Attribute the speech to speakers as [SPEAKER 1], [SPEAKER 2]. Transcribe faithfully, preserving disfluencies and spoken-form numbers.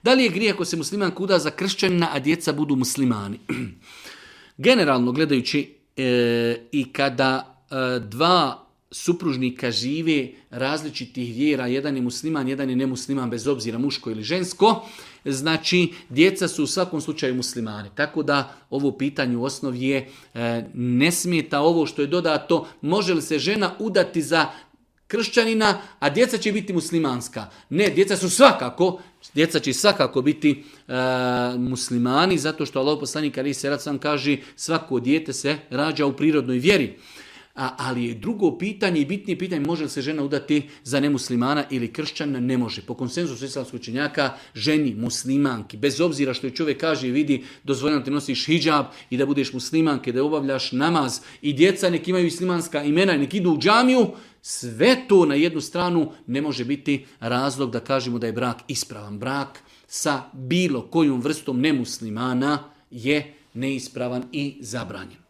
[SPEAKER 1] Da li je grijeh ako se muslimanka uda za kršćanina, a djeca budu muslimani? Generalno gledajući e, i kada e, dva supružnika žive različitih vjera, jedan je musliman, jedan je nemusliman, bez obzira muško ili žensko, znači djeca su u svakom slučaju muslimani. Tako da ovo pitanje u osnovi je e, ne smeta ovo što je dodato, može li se žena udati za kršćanina, a djeca će biti muslimanska. Ne, djeca su svakako, djeca će svakako biti e, muslimani, zato što Allah poslanik alejhi selatu selam kaže svako dijete se rađa u prirodnoj vjeri. A, ali je drugo pitanje i bitnije pitanje, može li se žena udati za nemuslimana ili kršćana? Ne može. Po konsenzusu islamskih učenjaka, ženi, muslimanki, bez obzira što je čovjek kaže i vidi, dozvoljeno ti nosiš hidžab i da budeš muslimanke, da obavljaš namaz i djeca nek imaju islamska imena i nek idu u džamiju, sve to na jednu stranu ne može biti razlog da kažemo da je brak ispravan. Brak sa bilo kojom vrstom nemuslimana je neispravan i zabranjen.